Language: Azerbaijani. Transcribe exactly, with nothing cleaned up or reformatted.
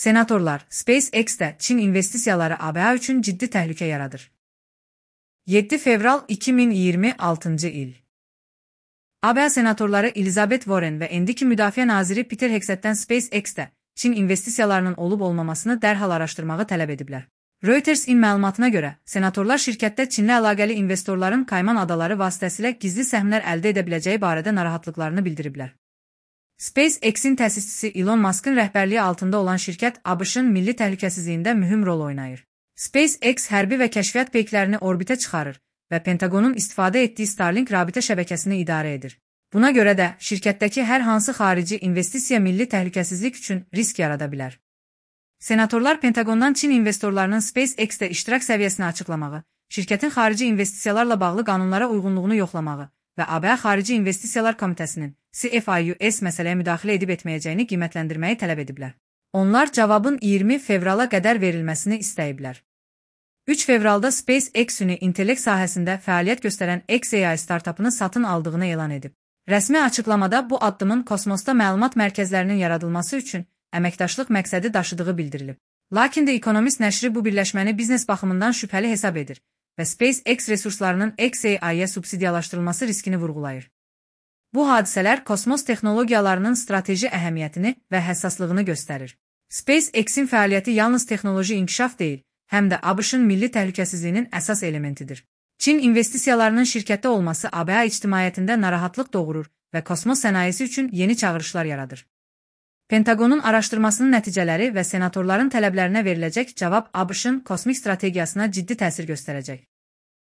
Senatorlar, SpaceX-də Çin investisiyaları A B A üçün ciddi təhlükə yaradır. yeddi fevral iki min iyirmi altıncı il. A B A senatorları Elizabeth Warren və indiki müdafiə naziri Peter Hegsethdən SpaceX-də Çin investisiyalarının olub-olmamasını dərhal araşdırmağı tələb ediblər. Reuters-in məlumatına görə, senatorlar şirkətdə Çinlə əlaqəli investorların Kayman adaları vasitəsilə gizli səhmlər əldə edə biləcəyi barədə narahatlıqlarını bildiriblər. SpaceX-in təsisçisi Elon Musk'ın rəhbərliyi altında olan şirkət A B Ş-ın milli təhlükəsizliyində mühüm rol oynayır. SpaceX hərbi və kəşfiyyat peyklərini orbitə çıxarır və Pentagonun istifadə etdiyi Starlink rabitə şəbəkəsini idarə edir. Buna görə də şirkətdəki hər hansı xarici investisiya milli təhlükəsizlik üçün risk yarada bilər. Senatorlar Pentagondan Çin investorlarının SpaceX-də iştirak səviyyəsini açıqlamağı, şirkətin xarici investisiyalarla bağlı qanunlara uyğunluğunu yoxlamağı və A B A Xarici İnvestisiyalar Komitəsinin C F I U S məsələyə müdaxilə edib etməyəcəyini qiymətləndirməyi tələb ediblər. Onlar cavabın iyirmi fevrala qədər verilməsini istəyiblər. üç fevralda SpaceX süni intellekt sahəsində fəaliyyət göstərən X A I startapını satın aldığını elan edib. Rəsmi açıqlamada bu addımın kosmosda məlumat mərkəzlərinin yaradılması üçün əməkdaşlıq məqsədi daşıdığı bildirilib. Lakin The Economist nəşri bu birləşməni biznes baxımından şübhəli hesab edir və SpaceX resurslarının X A I-yə subsidiyalaşdırılması riskini vurğulayır. Bu hadisələr kosmos texnologiyalarının strateji əhəmiyyətini və həssaslığını göstərir. SpaceX-in fəaliyyəti yalnız texnoloji inkişaf deyil, həm də A B Ş-ın milli təhlükəsizliyinin əsas elementidir. Çin investisiyalarının şirkətdə olması A B A ictimaiyyətində narahatlıq doğurur və kosmos sənayesi üçün yeni çağırışlar yaradır. Pentagonun araşdırmasının nəticələri və senatorların tələblərinə veriləcək cavab A B Ş-ın kosmik strategiyasına ciddi təsir göstərəcək.